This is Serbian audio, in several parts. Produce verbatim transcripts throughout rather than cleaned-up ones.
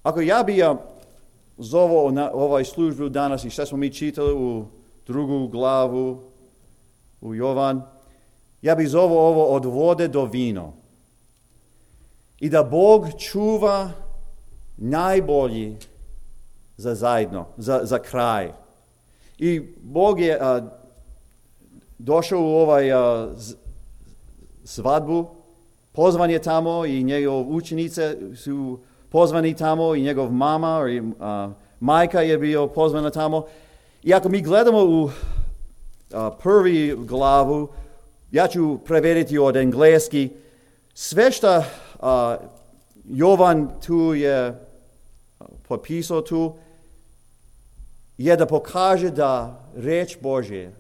Ako ja bi ja zovao na ovaj službu danas i što smo mi čitali u drugu glavu, u Jovan, ja bih zovao ovo od vode do vino. I da Bog čuva najbolji za zajedno, za, za kraj. I Bog je a, došao u ovaj a, z, svadbu, pozvan je tamo i njegov učenice su pozvani tamo i njegov mama i a, majka je bio pozvana tamo. I ako mi gledamo u a, prvi glavu, ja ću prevediti od engleski, sve što a, Jovan tu je popisao tu, je da pokaže da reč Božje,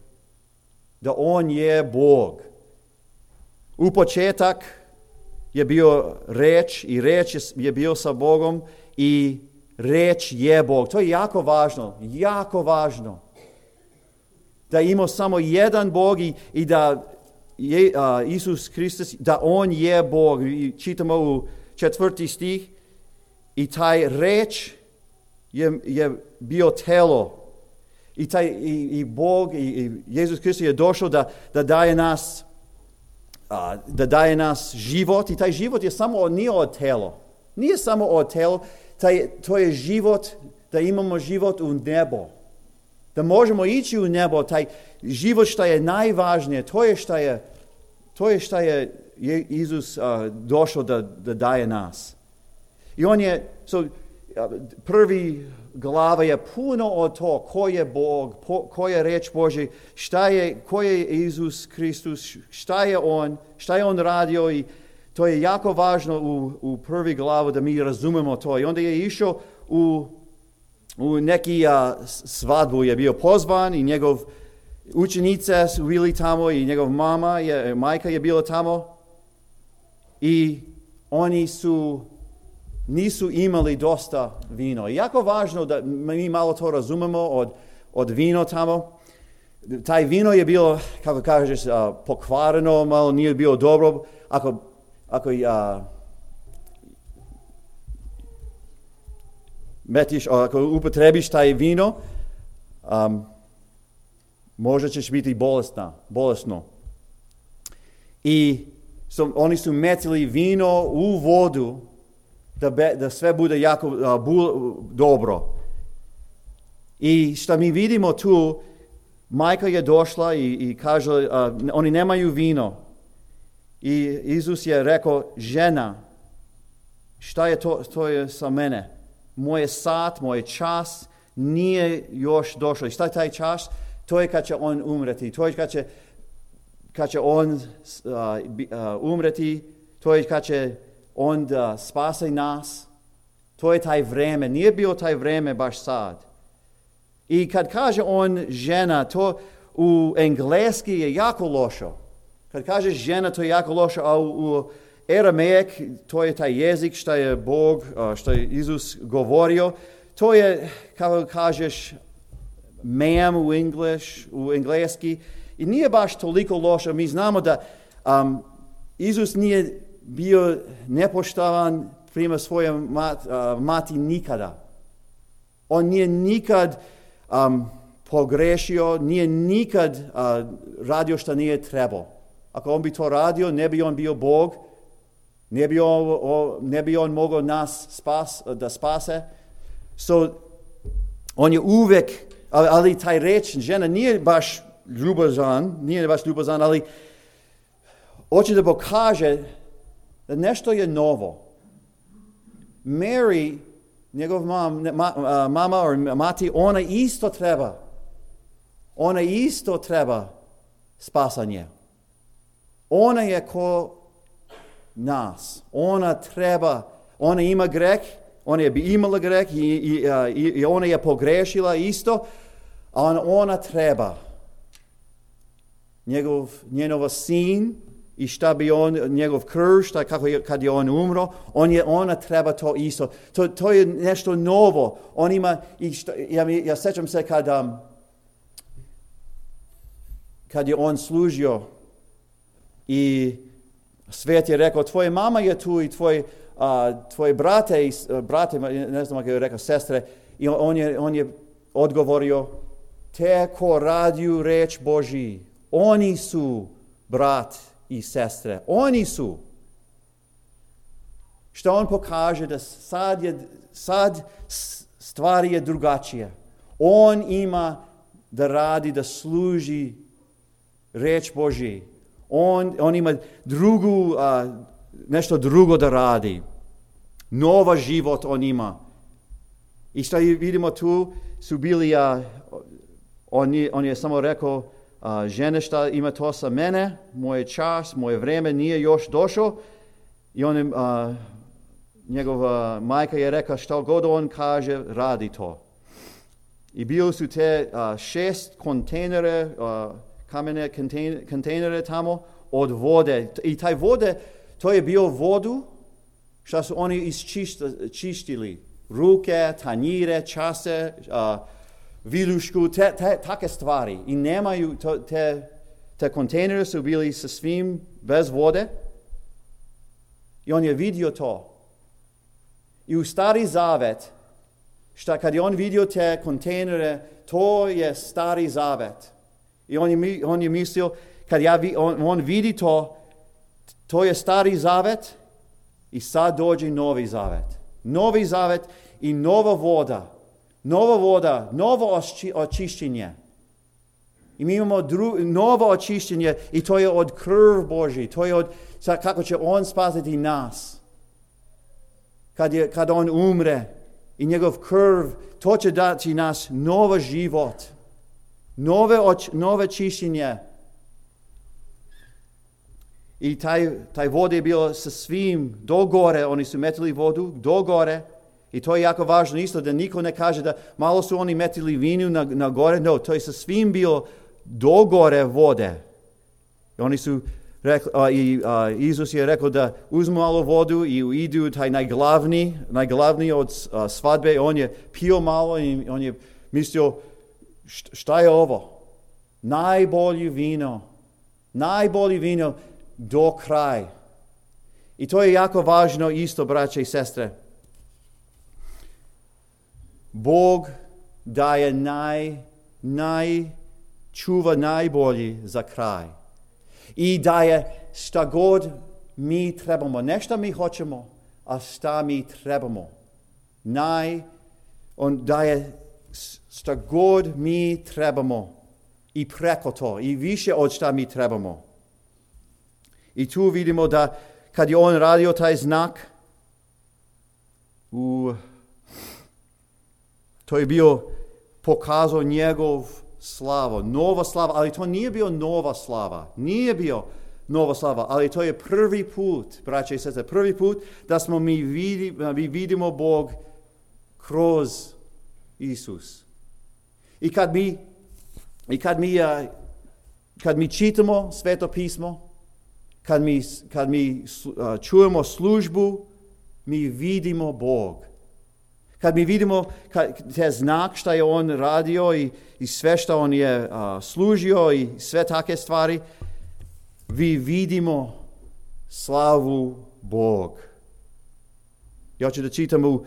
da on je Bog. U početak je bio reč i reč je bio sa Bogom i reč je Bog. To je jako važno, jako važno. Da ima samo jedan Bog i, i da je, uh, Isus Hristos, da on je Bog. I čitamo u četvrti stih i taj reč je, je bio telo. I, taj, i, i Bog, i, i Jezus Hristos je došao da, da daje nas uh, da daje nas život i taj život je samo nije od telo. Nije samo od telo, taj, to je život, da imamo život u nebo. Da možemo ići u nebo, taj život što je najvažnije, to je što je, to je, što je Isus uh, došao da, da daje nas. I on je, so, uh, prvi glava je puno od to ko je Bog, po, ko je reč Božja, šta je, ko je Isus Hristos, šta je on, šta je on radio i to je jako važno u, u prvi glavu da mi razumemo to. I onda je išao u, u neki uh, svadbu, je bio pozvan i njegov učenice su bili tamo i njegov mama, je, majka je bila tamo i oni su nisu imali dosta vino. I jako važno da mi malo to razumemo od, od vino tamo. Taj vino je bilo, kako kažeš, uh, pokvareno, malo nije bilo dobro. Ako, ako uh, metiš, ako upotrebiš taj vino, um, možda ćeš biti bolesna, bolesno. I so, oni su metili vino u vodu da, be, da sve bude jako uh, bu, dobro. I što mi vidimo tu, majka je došla i, i kaže, uh, oni nemaju vino. I Isus je rekao, žena, šta je to, to je sa mene? Moj sat, moj čas nije još došao. I šta je taj čas? To je kad će on umreti. To je kad će, kad će on uh, uh, umreti. To je kad će on da spase nas. To je taj vreme. Nije bio taj vreme baš sad. I kad kaže on žena, to u engleski je jako loše. Kad kaže žena, to je jako loše, a u, u aramejek, to je taj jezik što je Bog, uh, što je Isus govorio. To je, kako kažeš, ma'am u English, u engleski. I nije baš toliko loše. Mi znamo da um, Isus nije bio nepoštovan prema svoje mat, uh, mati nikada. On nije nikad um, pogrešio, nije nikad uh, radio što nije trebao. Ako on bi to radio, ne bi on bio Bog, ne bi on, o, ne bi on mogao nas spas, da spase. So, on je uvijek, ali, ali taj reč žena nije baš ljubazan, nije baš ljubazan, ali hoće da pokaže da nešto je novo. Mary, njegov mam, ma, mama or mati, ona isto treba. Ona isto treba spasanje. Ona je ko nas. Ona treba, ona ima greh, ona je bi imala greh i, i, i, i ona je pogrešila isto, a ona treba. Njegov, njegov sin i šta bi on, njegov krv, šta, kako je, kad je on umro, on je, ona treba to isto. To, to je nešto novo. On ima, i šta, ja, ja sjećam se kad, um, kad je on služio i svet je rekao, tvoja mama je tu i tvoj a, tvoje brate, brate, ne znam kako je rekao, sestre, i on je, on je odgovorio, te ko radiju reč Božji, oni su brat i sestre, oni su. Što on pokaže da sad, je, sad stvari je drugačije. On ima da radi, da služi reč Božji. On, on ima drugu, a, nešto drugo da radi. Nova život on ima. I što vidimo tu su bili, a, on, je, on je samo rekao, a, žene šta ima to sa mene, moj čas, moje vreme nije još došao. I on je, a, njegova majka je rekla što god on kaže, radi to. I bili su te a, šest kontejnere, a, kamene kontejnere tamo od vode. I taj vode, to je bio vodu što su oni isčistili. Ruke, tanjire, čase, uh, viljušku, te, te, take stvari. I nemaju, to, te, te kontejnere su bili sa svim bez vode. I on je vidio to. I u Stari Zavet, šta kad je on vidio te kontejnere, to je Stari Zavet. I on je, on je mislio, kad ja vi, on, on vidi to, to je Stari Zavet i sad dođe Novi Zavet. Novi Zavet i nova voda. Nova voda, novo očišćenje. I mi imamo dru, novo očišćenje i to je od krv Božji. To je od, kako će on spasiti nas. Kad, je, kad on umre i njegov krv, to će dati nas novo život. Nove, oč, nove čišćenje. I taj, taj voda je bilo sa svim do gore, oni su metili vodu do gore. I to je jako važno isto da niko ne kaže da malo su oni metili vinu na, na gore. No, to je sa svim bilo do gore vode. I oni su rekli, a, i a, Isus je rekao da uzmu malo vodu i idu taj najglavniji, najglavniji od a, svadbe. On je pio malo i on je mislio šta je ovo? Najbolje vino. Najbolje vino do kraja. I to je jako važno isto, braće i sestre. Bog daje naj, naj, čuva najbolji za kraj. I daje šta god mi trebamo. Ne šta mi hoćemo, a šta mi trebamo. Naj, on daje šta god mi trebamo. I preko to. I više od šta mi trebamo. I tu vidimo da kad je on radio taj znak, u, to je bio pokazao njegov slavu, nova slava, ali to nije bio nova slava, nije bio nova slava, ali to je prvi put, braće i sestre, prvi put da smo mi, vidi, mi vidimo Bog kroz Isus. I kad mi, i kad mi, kad mi čitamo Sveto pismo, Kad mi, kad mi uh, čujemo službu, mi vidimo Bog. Kad mi vidimo kad, te znak što je on radio i, i sve što on je uh, služio i sve take stvari, vi vidimo slavu Bog. Ja ću da čitam u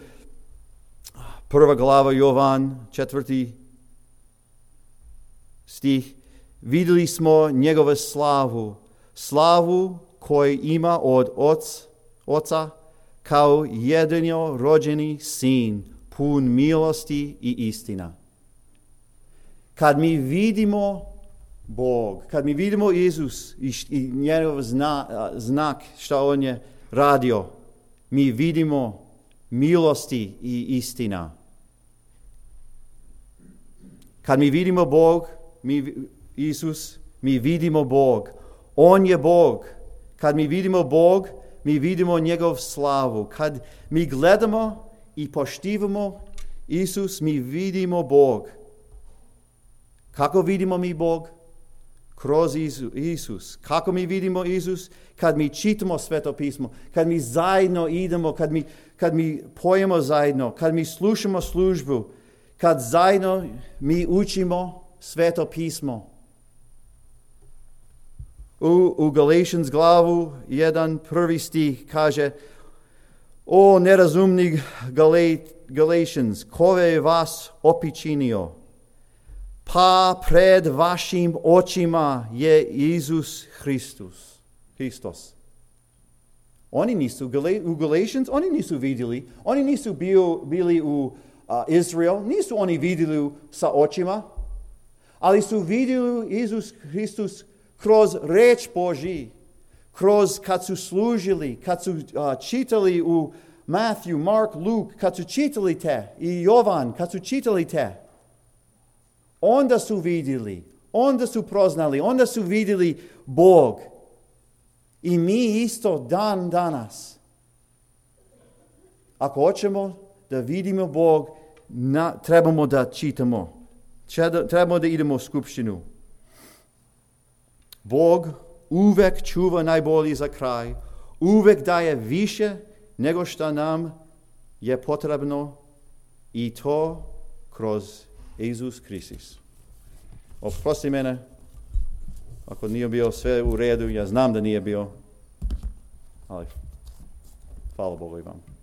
prva glava Jovan, četvrti stih. Vidjeli smo njegove slavu, slavu koju ima od oc, oca kao jedino rođeni sin, pun milosti i istina. Kad mi vidimo Bog, kad mi vidimo Isus i, i njegov zna, znak što on je radio, mi vidimo milosti i istina. Kad mi vidimo Bog, mi, Isus, mi vidimo Bog. On je Bog. Kad mi vidimo Bog, mi vidimo njegov slavu. Kad mi gledamo i poštivamo Isus, mi vidimo Bog. Kako vidimo mi Bog? Kroz Isus. Kako mi vidimo Isus? Kad mi čitamo Sveto pismo, kad mi zajedno idemo, kad mi, kad mi pojemo zajedno, kad mi slušamo službu, kad zajedno mi učimo Sveto pismo. U, u Galatians glavu jedan prvi stih kaže: O nerazumni Galatians, ko je vas opičinio? Pa pred vašim očima je Isus Hristos. Hristos. Oni nisu u Galatians, oni nisu vidjeli, oni nisu bio, bili u uh, Izrael, nisu oni vidjeli sa očima, ali su vidjeli Isus Hristos kroz reč Božji, kroz kad su služili, kad su uh, čitali u Matthew, Mark, Luke, kad su čitali te, i Jovan, kad su čitali te, onda su vidjeli, onda su proznali, onda su vidjeli Bog. I mi isto dan danas. Ako hoćemo da vidimo Bog, na, trebamo da čitamo. Trebamo da idemo u skupštinu. Bog uvek čuva najbolji za kraj. Uvek daje više nego što nam je potrebno. I to kroz Isus Hristos. Oprosti mene. Ako nije bio sve u redu, ja znam da nije bio, ali hvala Bogu i vam.